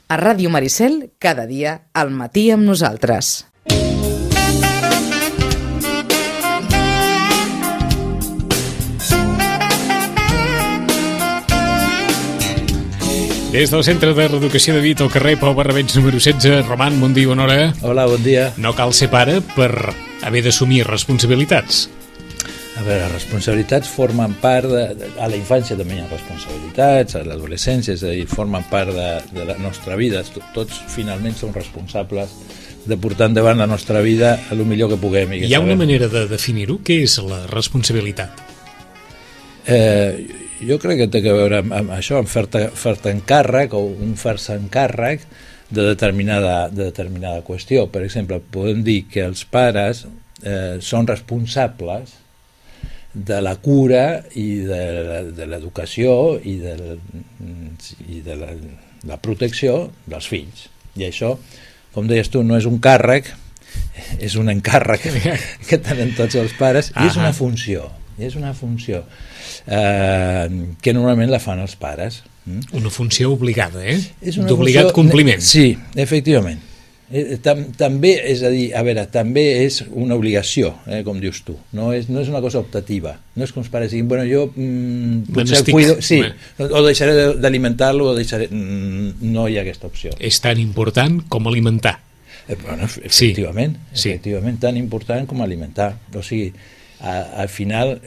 A Ràdio Maricel, cada dia, al matí amb nosaltres. Des del Centre de Reeducació de Vic al carrer Pau Barrabets número 16. Roman, bon dia, bona hora. Hola, bon dia. No cal ser pare per haver d'assumir responsabilitats. A veure, les responsabilitats formen part a la infància també hi ha responsabilitats, a l'adolescència, és a dir, formen part de la nostra vida. Tots finalment som responsables de portar endavant la nostra vida el millor que puguem. Hi ha una manera de definir-ho? Què és la responsabilitat? Jo crec que té a veure amb això, amb fer-te encàrrec o un fer-se encàrrec de determinada qüestió. Per exemple, podem dir que els pares són responsables de la cura i de l'educació i de la protecció dels fills. I això, com deies tu, no és un càrrec, és un encàrrec que tenen tots els pares, i és una funció. És una funció que normalment la fan els pares. Una funció obligada, d'obligat compliment. Sí, efectivament. També, és a dir, a veure, també és una obligació, com dius tu. No és una cosa optativa. No és que els pares diguin, bueno, jo potser el cuido, sí, o deixaré d'alimentar-lo o deixaré... No hi ha aquesta opció. És tan important com alimentar. Bueno, efectivament, tan important com alimentar. O sigui, al final,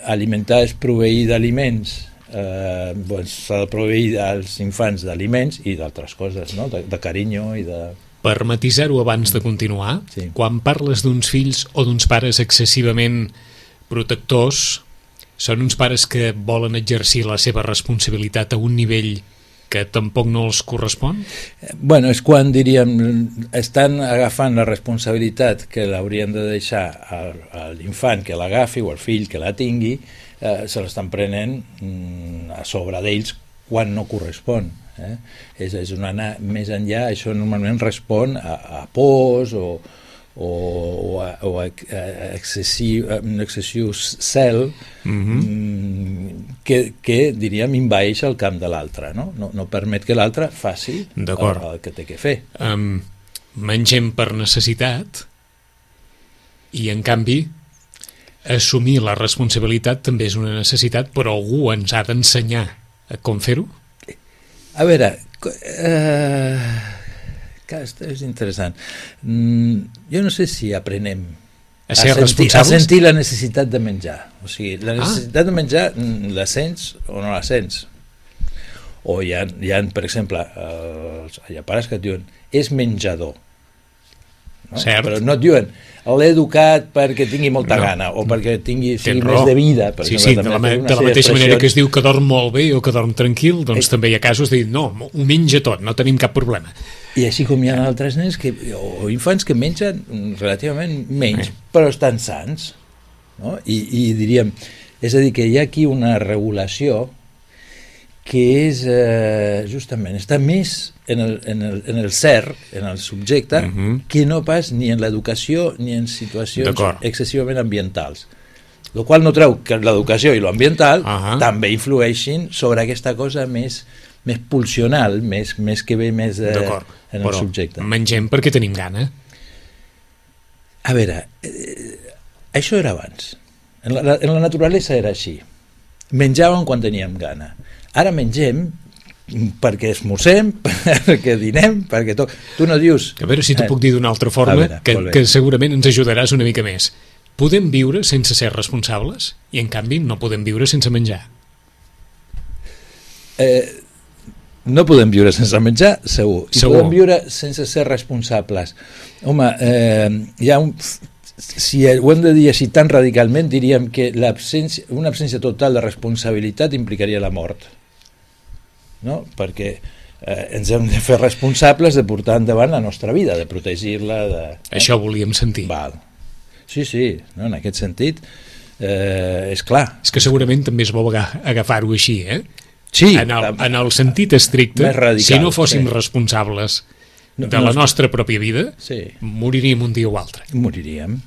alimentar és proveir d'aliments. S'ha de proveir als infants d'aliments i d'altres coses, no? De carinyo i de... Per matisar-ho abans de continuar, sí. Quan parles d'uns fills o d'uns pares excessivament protectors, són uns pares que volen exercir la seva responsabilitat a un nivell que tampoc no els correspon? Bueno, és quan, diríem, estan agafant la responsabilitat que l'haurien de deixar a l'infant que l'agafi o al fill que la tingui, se l'estan prenent a sobre d'ells quan no correspon. És un anar més enllà. Això normalment respon a pors o a excessiu cel que diríem envaeix el camp de l'altre, no permet que l'altre faci el que té que fer. Mengem per necessitat i en canvi assumir la responsabilitat també és una necessitat, però algú ens ha d'ensenyar a com fer-ho? A veure, és interessant. Jo no sé si aprenem a sentir la necessitat de menjar. O sigui, la necessitat de menjar la sents o no la sents. O hi ha per exemple, hi ha pares que et diuen és menjador. No? Però no et diuen l'he educat perquè tingui molta gana o perquè sigui més de vida. Sí, de la mateixa manera que es diu que dorm molt bé o que dorm tranquil, doncs també hi ha casos de dir no, ho menja tot, no tenim cap problema. I així com hi ha altres nens o infants que mengen relativament menys, però estan sans. No? I diríem, és a dir, que hi ha aquí una regulació que és justament, està més en el ser, en el subjecte, que no pas ni en l'educació ni en situacions excessivament ambientals. El qual no treu que l'educació i l'ambiental també influeixin sobre aquesta cosa més pulsional, més que ve més en el subjecte. Mengem perquè tenim gana. A veure, això era abans. En la naturalesa era així. Menjàvem quan teníem gana. Ara mengem perquè esmorzem, perquè dinem, perquè tot. Tu no dius... A veure si t'ho puc dir d'una altra forma, que segurament ens ajudaràs una mica més. Podem viure sense ser responsables i, en canvi, no podem viure sense menjar. No podem viure sense menjar, segur. I podem viure sense ser responsables. Home, hi ha si ho hem de dir així tan radicalment, diríem que una absència total de responsabilitat implicaria la mort. No? Perquè ens hem de fer responsables de portar endavant la nostra vida, de protegir-la. Això volíem sentir. Val. Sí, no? En aquest sentit, és clar. És que segurament també és bo agafar-ho així, Sí. En el sentit estricte, radical, si no fóssim responsables de la nostra pròpia vida, moriríem un dia o altre. Moriríem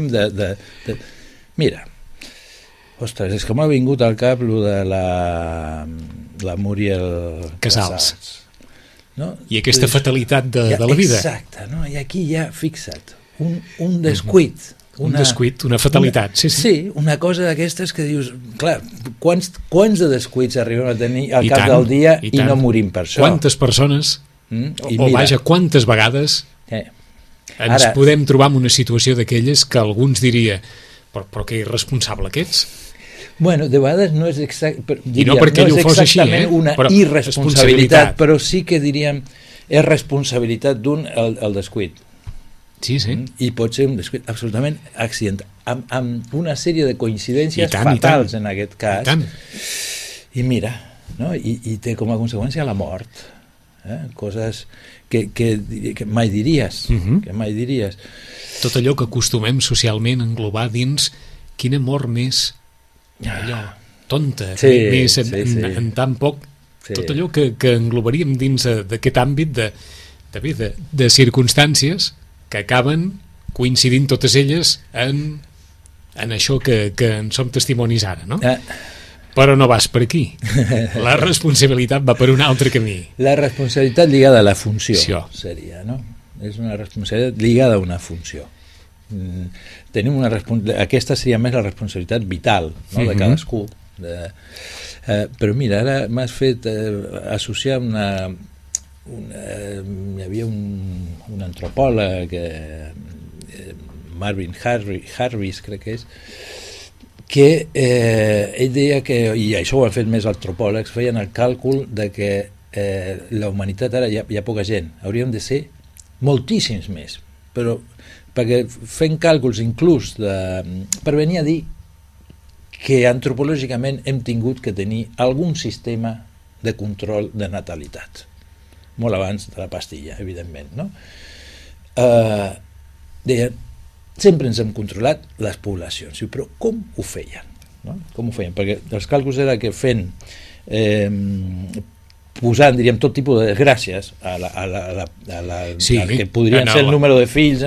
de... Mira, ostres, és que m'ha vingut al cap lo de la Muriel Casals. no? I aquesta fatalitat de la vida. Exacte, no? I aquí ja, fixa't, un descuit. Un descuit, una fatalitat, sí. Sí, una cosa d'aquestes que dius, clar, quants de descuits arribem a tenir al cap del dia i no morim per això? Quantes persones, vaja, quantes vegades ens podem trobar en una situació d'aquelles que alguns diria, però que irresponsable que ets? Bueno, de vegades no és I no perquè ell ho fos així, una irresponsabilitat, però sí que diríem és responsabilitat d'un el descuit. Sí. I pot ser un descuit absolutament accidental, amb una sèrie de coincidències fatals en aquest cas. I mira, no? I té com a conseqüència la mort. Coses que mai diries. Que mai diries. Tot allò que acostumem socialment a englobar dins quina mort més allò tonta, més en tan poc, tot allò que englobaríem dins d'aquest àmbit de circumstàncies que acaben coincidint totes elles en això que en som testimonis ara, no? Però no vas per aquí. La responsabilitat va per un altre camí. La responsabilitat lligada a la funció seria, no? És una responsabilitat lligada a una funció. Tenim aquesta seria més la responsabilitat vital, no? De cadascú. Però mira, ara m'has fet associar hi havia un antropòleg Marvin Harris crec que és, que ell deia que, i això ho han fet més antropòlegs, feien el càlcul de que la humanitat ara hi ha poca gent, hauríem de ser moltíssims més, però perquè fent càlculs inclús per venir a dir que antropològicament hem tingut que tenir algun sistema de control de natalitat, molt abans de la pastilla, evidentment, no? Deien, sempre ens hem controlat les poblacions, però com ho feien? No? Com ho feien? Perquè els càlculs era que fent posant, diríem, tot tipus de desgràcies al que podrien ser el número de fills,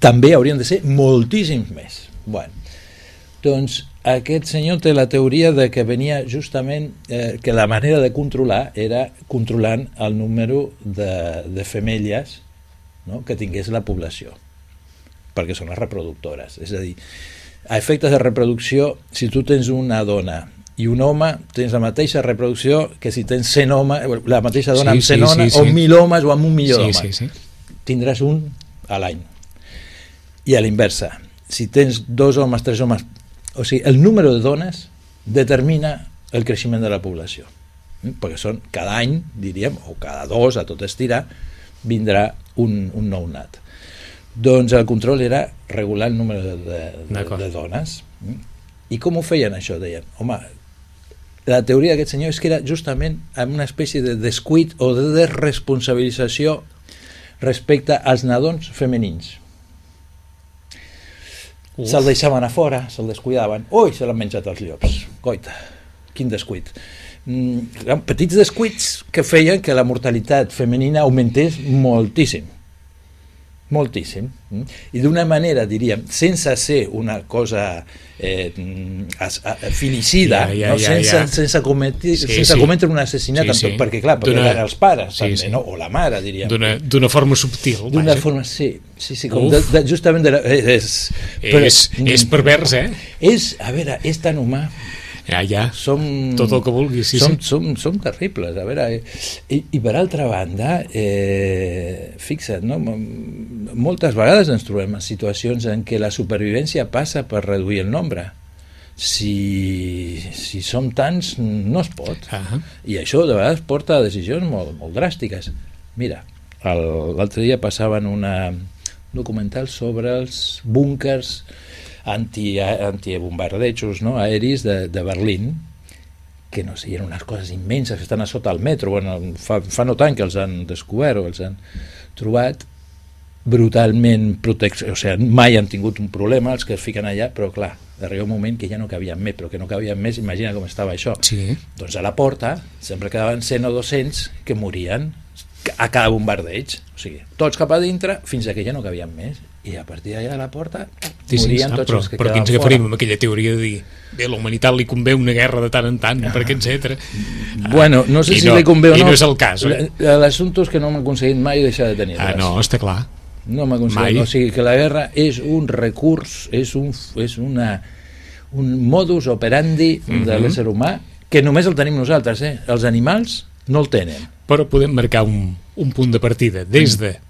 també haurien de ser moltíssims més. Bueno, doncs aquest senyor té la teoria de que venia justament que la manera de controlar era controlant el número de femelles, no? Que tingués la població, perquè són les reproductores. És a dir, a efectes de reproducció, si tu tens una dona i un home, tens la mateixa reproducció que si tens 100 homes, la mateixa dona amb 100 homes, o 1.000 homes o amb 1 milió d'homes. Tindràs un a l'any. I a l'inversa, si tens 2 homes, 3 homes, o sigui, el número de dones determina el creixement de la població. Perquè són cada any, diríem, o cada 2, a tot estirar, vindrà un nou nat. Doncs el control era regular el número de dones. I com ho feien això? Deien, home, la teoria d'aquest senyor és que era justament amb una espècie de descuit o de desresponsabilització respecte als nadons femenins. Se'l deixaven a fora, se'l descuidaven. Ui, se l'han menjat els llops. Coita, quin descuit. Petits descuits que feien que la mortalitat femenina augmentés moltíssim. Moltíssim. I d'una manera, diríem, sense ser una cosa finicida, sense cometre un assassinat, perquè clar, perquè eren els pares també, no? O la mare, diríem. D'una forma subtil. D'una forma, sí, com justament és pervers, és, a veure, és tan humà. Tot el que vulguis. Som terribles, a veure, i per altra banda, fixa't, no? Moltes vegades ens trobem en situacions en què la supervivència passa per reduir el nombre. Si som tants, no es pot. I això de vegades porta a decisions molt dràstiques. Mira, l'altre dia passaven un documental sobre els búnkers antibombardejos, no? Aeris de Berlín, que no sé, eren unes coses immenses que estan a sota el metro. Bueno, fa no tant que els han descobert o els han trobat brutalment o sigui, mai han tingut un problema els que es fiquen allà, però clar, arriba un moment que ja no cabien més, però que no cabien més, imagina com estava això. Doncs a la porta sempre quedaven 100 o 200 que morien a cada bombardeig, o sigui, tots cap a dintre fins a que ja no cabien més, i a partir d'allà de la porta morien tots els que però quedaven ens agafarem amb aquella teoria de dir bé, a la humanitat li convé una guerra de tant en tant, perquè etc. Bueno, no sé si li convé o no. I no és el cas. L'assumpte és que no hem aconseguit mai deixar de tenir res. No, està clar. No hem aconseguit. O sigui que la guerra és un recurs, és un modus operandi de l'ésser humà que només el tenim nosaltres, Els animals no el tenen. Però podem marcar un punt de partida des de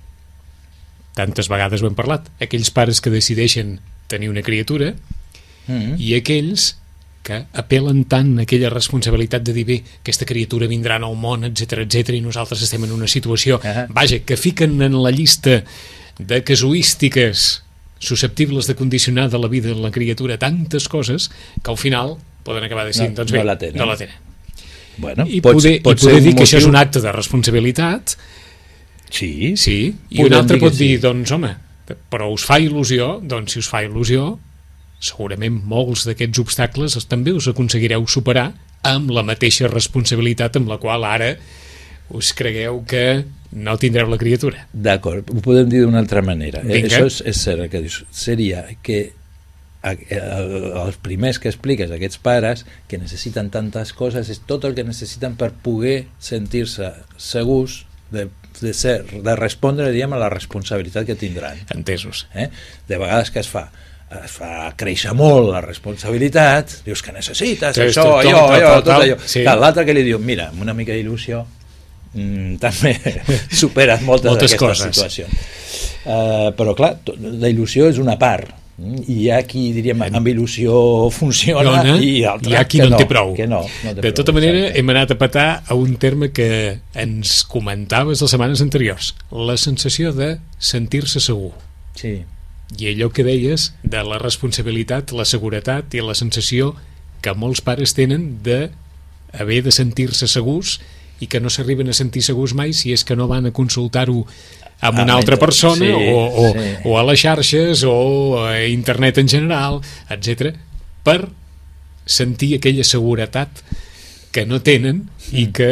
tantes vegades ho hem parlat, aquells pares que decideixen tenir una criatura i aquells que apel·len tant a aquella responsabilitat de dir bé, aquesta criatura vindrà al món, etc i nosaltres estem en una situació, vaja, que fiquen en la llista de casuístiques susceptibles de condicionar de la vida de la criatura tantes coses que al final poden acabar decidint, doncs bé, no la tenen. Bueno, I poder dir que això és un acte de responsabilitat. Sí. I un altre pot dir, doncs home, però us fa il·lusió? Doncs si us fa il·lusió, segurament molts d'aquests obstacles també us aconseguireu superar amb la mateixa responsabilitat amb la qual ara us cregueu que no tindreu la criatura. D'acord, ho podem dir d'una altra manera. Vinga. Això és cert, el que dius. Seria que els primers que expliques, aquests pares que necessiten tantes coses, és tot el que necessiten per poder sentir-se segurs de respondre, diríem, a la responsabilitat que tindran. Entesos. De vegades que es fa créixer molt la responsabilitat, dius que necessites això, allò, tot allò. Sí. L'altre que li diu, mira, amb una mica d'il·lusió també superes moltes d'aquestes situacions. Però clar, la il·lusió és una part, i hi ha qui, diríem, amb il·lusió funciona i altres hi ha qui no en té prou. De tota manera, hem anat a petar a un terme que ens comentaves les setmanes anteriors, la sensació de sentir-se segur. Sí. I allò que deies de la responsabilitat, la seguretat i la sensació que molts pares tenen d'haver de sentir-se segurs i que no s'arriben a sentir segurs mai si és que no van a consultar-ho amb una altra persona o a les xarxes o a internet en general, etc, per sentir aquella seguretat que no tenen i que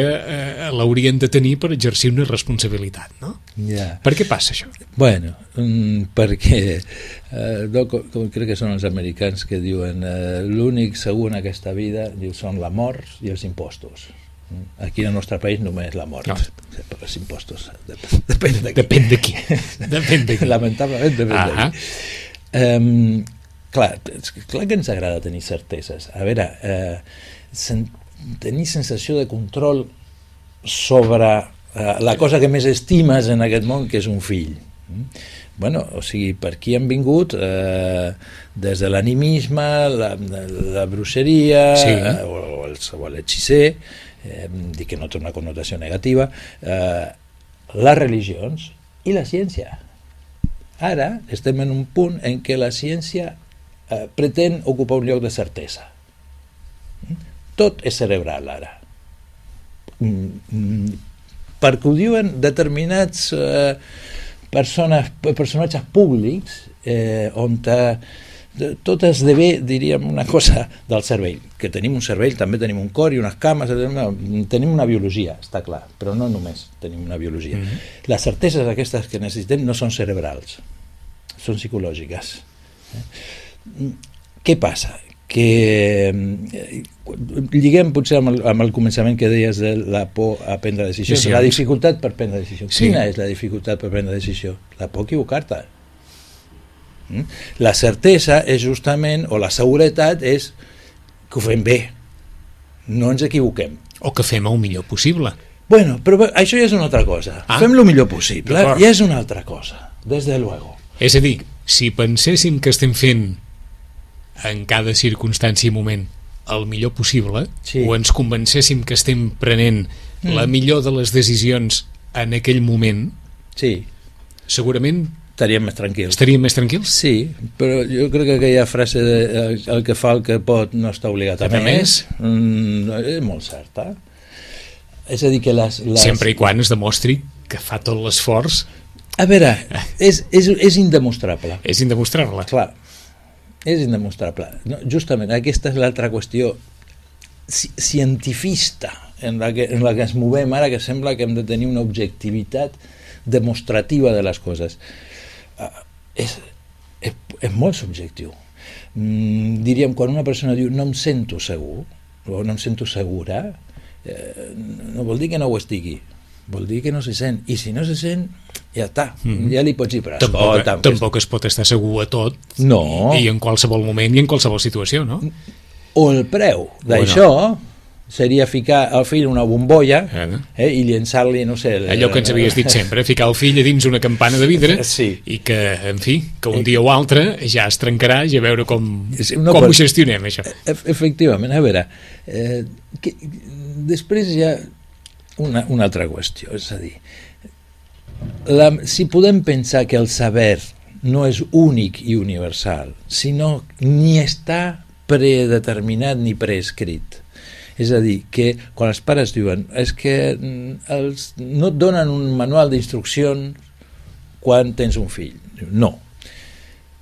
l'haurien de tenir per exercir una responsabilitat, no? Yeah. Per què passa això? Bueno, perquè crec que són els americans que diuen l'únic segur en aquesta vida són la mort i els impostos. Aquí en el nostre país només la mort, però els impostos depèn de qui. Lamentablement depèn de qui. Clar que ens agrada tenir certeses. A veure, tenir sensació de control sobre la cosa que més estimes en aquest món, que és un fill. Bueno, o sigui, per aquí han vingut des de l'animisme, la bruixeria o l'hechicer, dic que no té una connotació negativa, les religions i la ciència. Ara estem en un punt en què la ciència pretén ocupar un lloc de certesa. Tot és cerebral ara. Perquè ho diuen determinats personatges públics on tot esdevé, diríem, una cosa del cervell, que tenim un cervell, també tenim un cor i unes cames, tenim una biologia, està clar, però no només tenim una biologia. Les certeses aquestes que necessitem no són cerebrals, són psicològiques. Què passa? Que lliguem potser amb el començament que deies de la por a prendre decisions, la dificultat per prendre decisions. Quina és la dificultat per prendre decisió? La por a equivocar-te. La certesa és justament, o la seguretat és que ho fem bé, no ens equivoquem. O que fem el millor possible. Bueno, però això ja és una altra cosa. Fem el millor possible, ja és una altra cosa, des de luego. És a dir, si penséssim que estem fent en cada circumstància i moment el millor possible, o ens convencéssim que estem prenent la millor de les decisions en aquell moment, segurament estaríem més tranquils. Sí, però jo crec que aquella frase de el que fa el que pot no està obligat a més és molt certa. És a dir que sempre i quan es demostri que fa tot l'esforç. A veure, és indemostrable. És indemostrable. Clar, és indemostrable. No, justament aquesta és l'altra qüestió cientifista en la que ens movem ara, que sembla que hem de tenir una objectivitat demostrativa de les coses. és molt subjectiu. Diríem, quan una persona diu no em sento segur, o no em sento segura, no vol dir que no ho estigui, vol dir que no se sent, i si no se sent, ja està, ja li pots dir, però escolta... Tampoc es pot estar segur a tot, no. I en qualsevol moment i en qualsevol situació, no? O el preu d'això seria ficar el fill en una bombolla i llençar-li, no sé... Allò que ens havies dit sempre, ficar el fill a dins una campana de vidre i que, en fi, que un dia o altre ja es trencarà i a veure com ho gestionem, això. Efectivament, a veure, després hi ha una altra qüestió, és a dir, si podem pensar que el saber no és únic i universal, sinó ni està predeterminat ni preescrit. És a dir, que quan els pares diuen és que no et donen un manual d'instruccions quan tens un fill. No.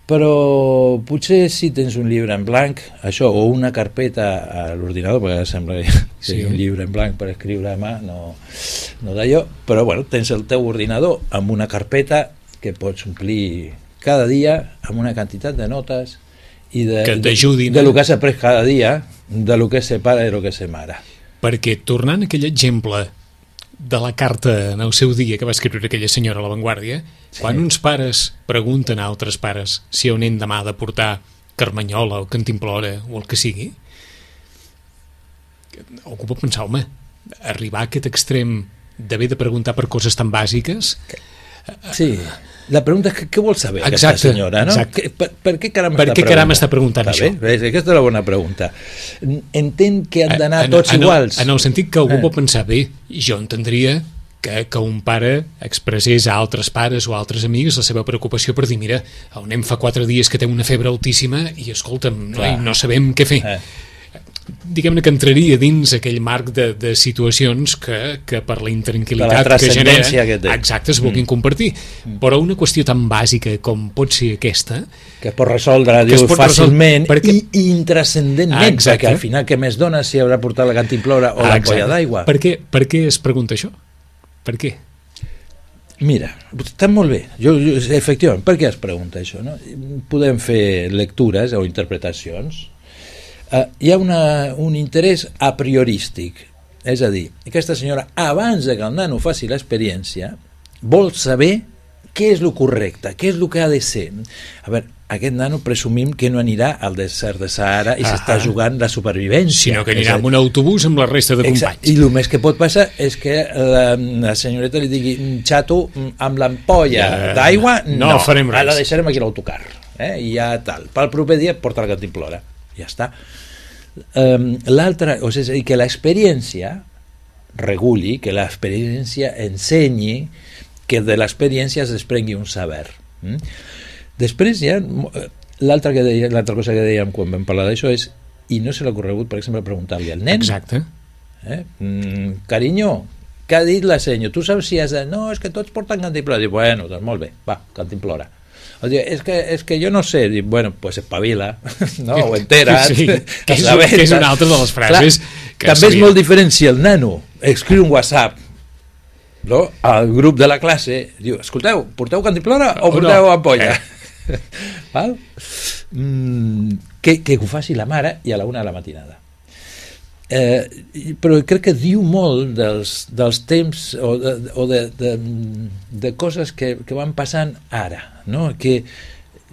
Però potser si tens un llibre en blanc, això, o una carpeta a l'ordinador, perquè sembla que un llibre en blanc per escriure a mà, no d'allò, però bueno, tens el teu ordinador amb una carpeta que pots omplir cada dia amb una quantitat de notes i que t'ajudin de lo que has après cada dia, de lo que se pare i de lo que se mare. Perquè, tornant a aquell exemple de la carta en el seu dia que va escriure aquella senyora a La Vanguardia, quan uns pares pregunten a altres pares si on hem demà de portar Carmanyola o Cantimplora o el que sigui, algú pot pensar, home, arribar a aquest extrem d'haver de preguntar per coses tan bàsiques... Sí, la pregunta és què vol saber aquesta senyora, no? Per què caram està preguntant això? Aquesta és la bona pregunta. Entenc que han d'anar tots iguals. En el sentit que algú pot pensar, bé, jo entendria que un pare expressés a altres pares o a altres amics la seva preocupació per dir, mira, el nen fa 4 dies que té una febre altíssima i escolta'm, no sabem què fer. Diguem-ne que entraria dins aquell marc de situacions que per la intranquil·litat que genera es vulguin compartir, però una qüestió tan bàsica com pot ser aquesta que es pot resoldre fàcilment i intrascendentment, perquè al final què més dona si haurà portat la cantimplora o l'ampolla d'aigua? Per què es pregunta això? Per què? Mira, està molt bé. Efectivament, per què es pregunta això? Podem fer lectures o interpretacions. Hi ha un interès a priorístic, és a dir, aquesta senyora abans que el nano faci l'experiència vol saber què és el correcte, què és el que ha de ser. A veure, aquest nano presumim que no anirà al desert de Sahara i s'està jugant la supervivència, sinó que anirà amb un autobús amb la resta de companys. I el més que pot passar és que la senyoreta li digui, xato, amb l'ampolla d'aigua no farem res, la deixarem aquí a l'autocar i ja tal, pel proper dia porta la cantimplora, ja està. L'altra, o sigui, que l'experiència reguli, que l'experiència ensenyi, que de l'experiència es desprengui un saber. Després hi ha l'altra cosa que dèiem quan vam parlar d'això és, i no se l'ha corregut, per exemple, preguntar-li al nen, exacte, carinyo, què ha dit la senyo? Tu saps si has de... No, és que tots porten cantimplora. Dic, bueno, doncs molt bé, va, cantimplora. És que jo no sé. Dic, bueno, pues espavila, no? O entera't. Sí, que és una altra de les frases. Clar, també és molt diferent si el nano escriu un WhatsApp, no? Al grup de la classe, diu, escolteu, porteu cantimplora o porteu ampolla? Val? Que ho faci la mare i a la 1 de la matinada. Però crec que diu molt dels temps o de coses que van passant ara, no? Que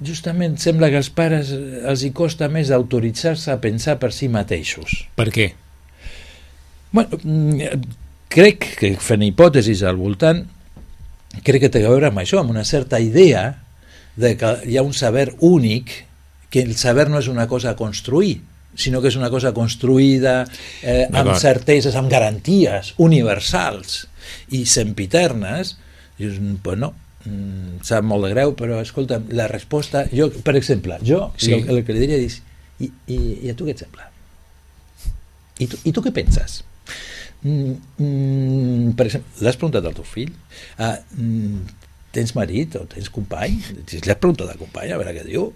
justament sembla que als pares els hi costa més autoritzar-se a pensar per si mateixos. Per què? Bueno, crec que fent hipòtesis al voltant, crec que té a veure amb això, amb una certa idea de que hi ha un saber únic, que el saber no és una cosa a construir, sinó que és una cosa construïda amb certeses, amb garanties universals i sempiternes. Dius, pues no, sap molt de greu, però escolta, la resposta, jo, per exemple, el que li diria és, i a tu què et sembla? I tu què penses? Per exemple, l'has preguntat al teu fill? Tens marit o tens company? Si l'has preguntat al company, a veure què diu.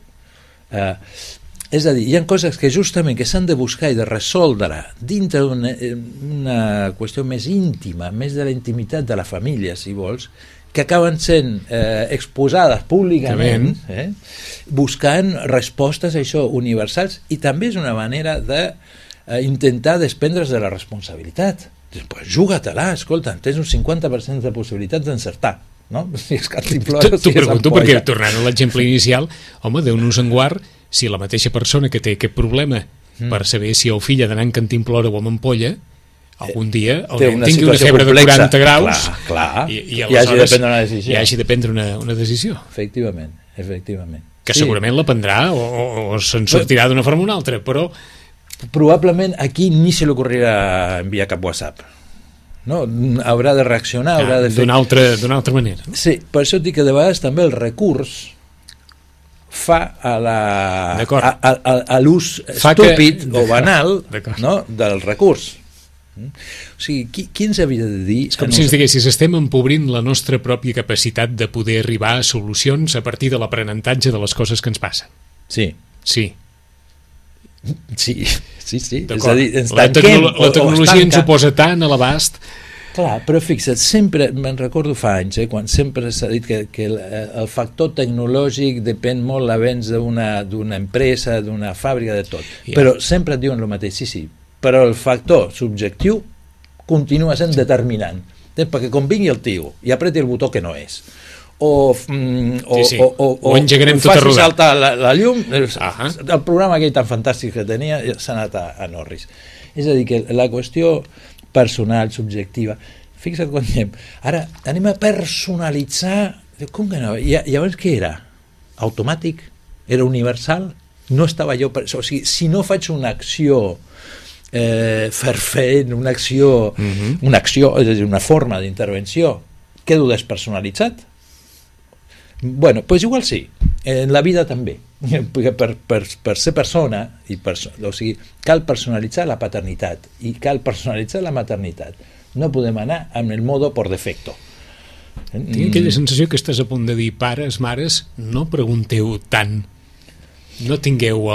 És a dir, hi ha coses que justament que s'han de buscar i de resoldre dintre d'una qüestió més íntima, més de la intimitat de la família, si vols, que acaben sent exposades públicament, buscant respostes a això universals, i també és una manera d'intentar desprendre's de la responsabilitat. Pues juga-te-la, escolta, tens un 50% de possibilitats d'encertar. No? Si és cantimplora, T'ho pregunto perquè, tornant a l'exemple inicial, home, Déu-nos en guard, si la mateixa persona que té aquest problema per saber si el fill ha d'anar en cantimplora o amb ampolla, algun dia tingui una febre de 40 graus i aleshores hi hagi de prendre una decisió. Efectivament. Que segurament la prendrà o se'n sortirà d'una forma o una altra, però... Probablement aquí ni se li ocorrirà enviar cap WhatsApp. No? Haurà de reaccionar, haurà de fer... D'una altra manera. Sí, per això dic que de vegades també el recurs fa a l'ús estúpid o banal, no? Del recurs. O sigui, qui ens havia de dir... És com si ens diguessis, estem empobrint la nostra pròpia capacitat de poder arribar a solucions a partir de l'aprenentatge de les coses que ens passen. Sí. Sí. És a dir, la tecnologia ens ho posa tant a l'abast. Clar, però fixa't, sempre, me'n recordo fa anys, quan sempre s'ha dit que el factor tecnològic depèn molt l'avenç d'una empresa, d'una fàbrica, de tot. Però sempre et diuen el mateix, sí, però el factor subjectiu continua sent determinant, perquè com vingui el tio i apreti el botó que no és, o engegarem tot a rodar, faci saltar la llum, el programa aquell tan fantàstic que tenia s'ha anat a Norris. És a dir, que la qüestió personal, subjectiva, fixa't quan diem, ara anem a personalitzar, com que no? I abans què era? Automàtic? Era universal? No estava jo... O sigui, si no faig una acció fervent, una acció, és a dir, una forma d'intervenció, quedo despersonalitzat? Bueno, doncs igual sí, en la vida també, perquè per ser persona, o sigui, cal personalitzar la paternitat i cal personalitzar la maternitat. No podem anar amb el modo por defecto. Tinc aquella sensació que estàs a punt de dir, pares, mares, no pregunteu tant, no tingueu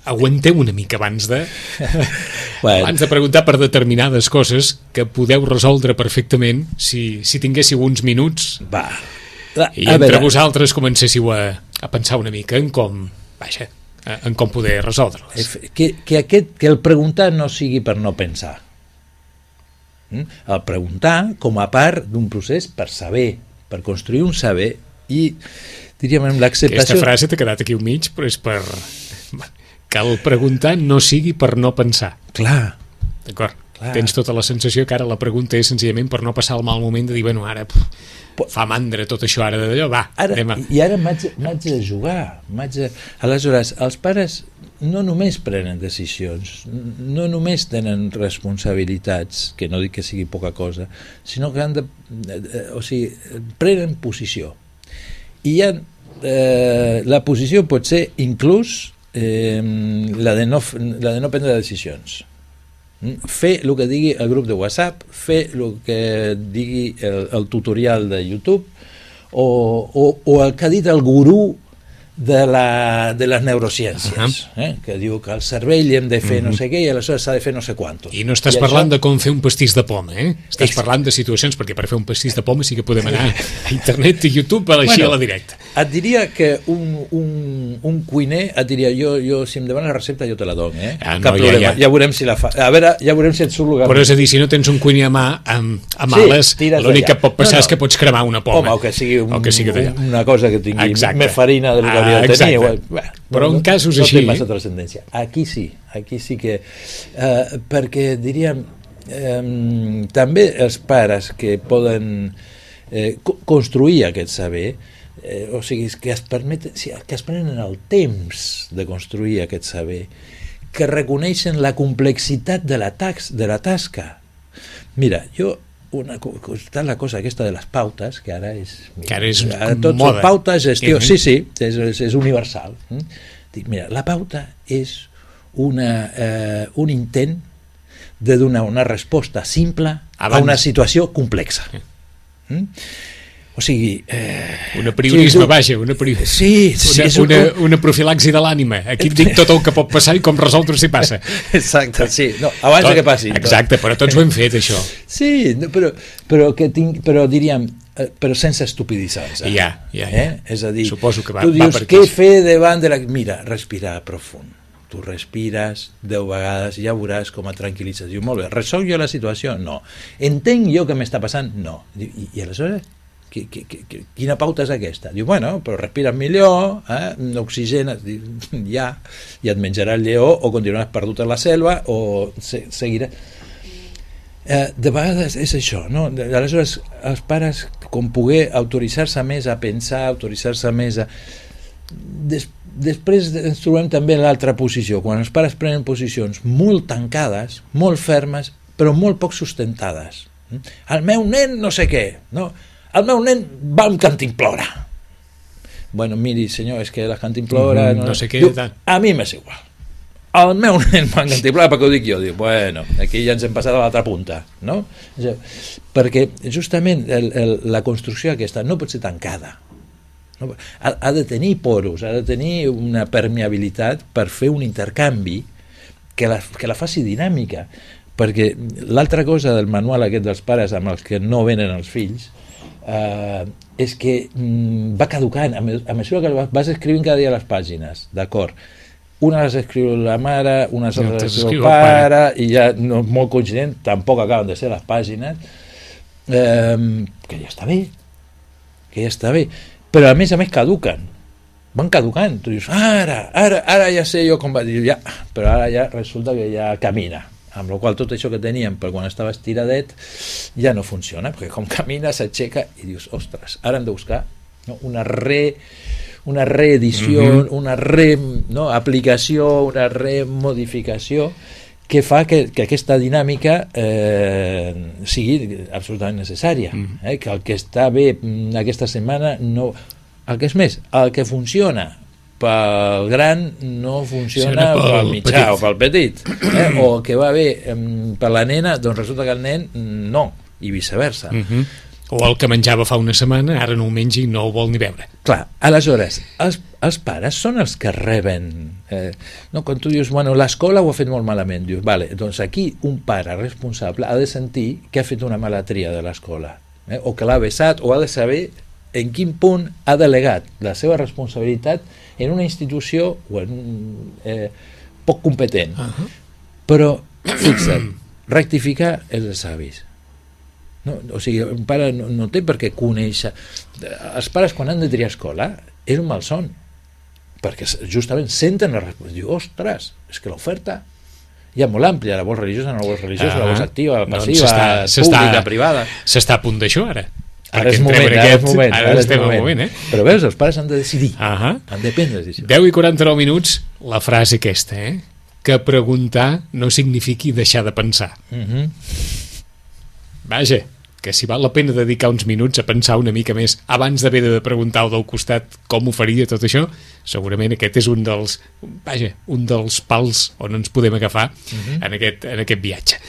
aguanteu una mica abans de preguntar per determinades coses que podeu resoldre perfectament si tinguéssiu uns minuts i entre vosaltres comencéssiu a pensar una mica en com poder resoldre-les. Que el preguntar no sigui per no pensar. El preguntar com a part d'un procés per saber, per construir un saber, i diríem amb l'acceptació... Aquesta frase t'ha quedat aquí al mig, però és per... que el preguntar no sigui per no pensar. Clar. D'acord. Tens tota la sensació que ara la pregunta és senzillament per no passar el mal moment de dir, bueno, ara fa mandra tot això, ara d'allò, va, anem a... I ara m'haig de jugar. Aleshores, els pares no només prenen decisions, no només tenen responsabilitats, que no dic que sigui poca cosa, sinó que han de... o sigui, prenen posició. I la posició pot ser inclús la de no prendre decisions. Fer el que digui el grup de WhatsApp, fer el que digui el tutorial de YouTube o el que ha dit el gurú de les neurociències, que diu que al cervell hem de fer no sé què i aleshores s'ha de fer no sé quantos. I no estàs parlant de com fer un pastís de poma, estàs parlant de situacions, perquè per fer un pastís de poma sí que podem anar a internet i YouTube per així a la directa. Et diria que un cuiner et diria, jo si em demanes la recepta jo te la dono, cap problema, ja veurem si la fa, a veure, ja veurem si et surt lugar. Però és a dir, si no tens un cuiner a mà amb ales, l'únic que pot passar és que pots cremar una poma. Home, o que sigui una cosa que tingui més farina del que hauria de tenir. Però en casos així... No té massa transcendència. Aquí sí que... perquè diríem, també els pares que poden construir aquest saber, o sigui, que es prenen el temps de construir aquest saber, que reconeixen la complexitat de la tasca. Mira, està la cosa aquesta de les pautes, que ara és tot moda. Són pautes, gestió, sí, és universal. Dic, mira, la pauta és un intent de donar una resposta simple a una situació complexa. O sigui... un apriorisme, vaja, una profilaxi de l'ànima. Aquí et dic tot el que pot passar i com resoldre si passa. Exacte, sí. No, abans que passi. Exacte, però tots ho hem fet, això. Sí, però diríem, però sense estupiditzar-nos. Ja. És a dir, suposo que tu dius, què fer davant de la... Mira, respirar profund. Tu respires 10 vegades i ja veuràs com et tranquil·litzes. Diu, molt bé, resolc jo la situació? No. Entenc jo què m'està passant? No. I aleshores... quina pauta és aquesta? Diu, bueno, però respires millor, oxigenes, ja et menjarà el lleó o continuaràs perdut a la selva o seguiràs. De vegades és això, no? Aleshores els pares, com poder autoritzar-se més a pensar, autoritzar-se més a... Després ens trobem també en l'altra posició, quan els pares prenen posicions molt tancades, molt fermes, però molt poc sustentades. El meu nen no sé què, no? El meu nen va amb cantimplora. Bueno, miri, senyor, és que la cantimplora... no sé què... Diu, a mi m'és igual. El meu nen va amb cantimplora, perquè ho dic jo. Diu, bueno, aquí ja ens hem passat a l'altra punta, no? Perquè justament la construcció aquesta no pot ser tancada. No? Ha de tenir poros, ha de tenir una permeabilitat per fer un intercanvi que la faci dinàmica. Perquè l'altra cosa del manual aquest dels pares amb els que no venen els fills és que va caducant a mesura que vas escrivint cada dia les pàgines, d'acord, una les escriu la mare, una les escriu el pare i ja no és molt coincident, tampoc acaben de ser les pàgines, que ja està bé, però a més caduquen, van caducant. Tu dius, ara ja sé jo com va dir, ja, però ara ja resulta que ja camina, amb la qual tot això que teníem per quan estava estiradet ja no funciona, perquè com camina s'aixeca i dius, ostres, ara hem de buscar una reedició, una aplicació, una remodificació que fa que aquesta dinàmica sigui absolutament necessària, que el que està bé aquesta setmana no... El que és més, el que funciona pel gran no funciona pel mitjà o pel petit, o el que va bé per la nena, doncs resulta que el nen no, i viceversa. O el que menjava fa una setmana ara no ho mengi i no ho vol ni veure. Clar, aleshores els pares són els que reben, no? Quan tu dius, bueno, l'escola ho ha fet molt malament, dius, vale, doncs aquí un pare responsable ha de sentir que ha fet una mala tria de l'escola, o que l'ha vessat, o ha de saber en quin punt ha delegat la seva responsabilitat en una institució poc competent. Però, fixa't, rectificar és de savis. No? O sigui, un pare no té per què conèixer... Els pares, quan han de triar escola, és un malson, perquè justament senten la responsabilitat. Diu, ostres, és que l'oferta ja molt àmplia, la vols religiosa, no la vols religiosa, la vols activa, la passiva, pública, privada... S'està a punt d'això, ara. Ara és moment, ara estem al moment. Però veus, els pares han de decidir, han de prendre decisions. 10:49 minuts, la frase aquesta, que preguntar no signifiqui deixar de pensar. Vaja, que si val la pena dedicar uns minuts a pensar una mica més abans d'haver de preguntar al del costat com ho faria tot això, segurament aquest és un dels pals on ens podem agafar en aquest viatge.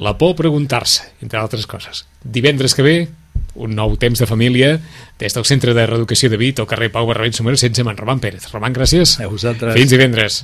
La por a preguntar-se, entre altres coses. Divendres que ve, un nou temps de família des del Centre de Reeducació de Vic, al carrer Pau Barberets número 16, amb en Roman Pérez. Roman, gràcies. A vosaltres. Fins divendres.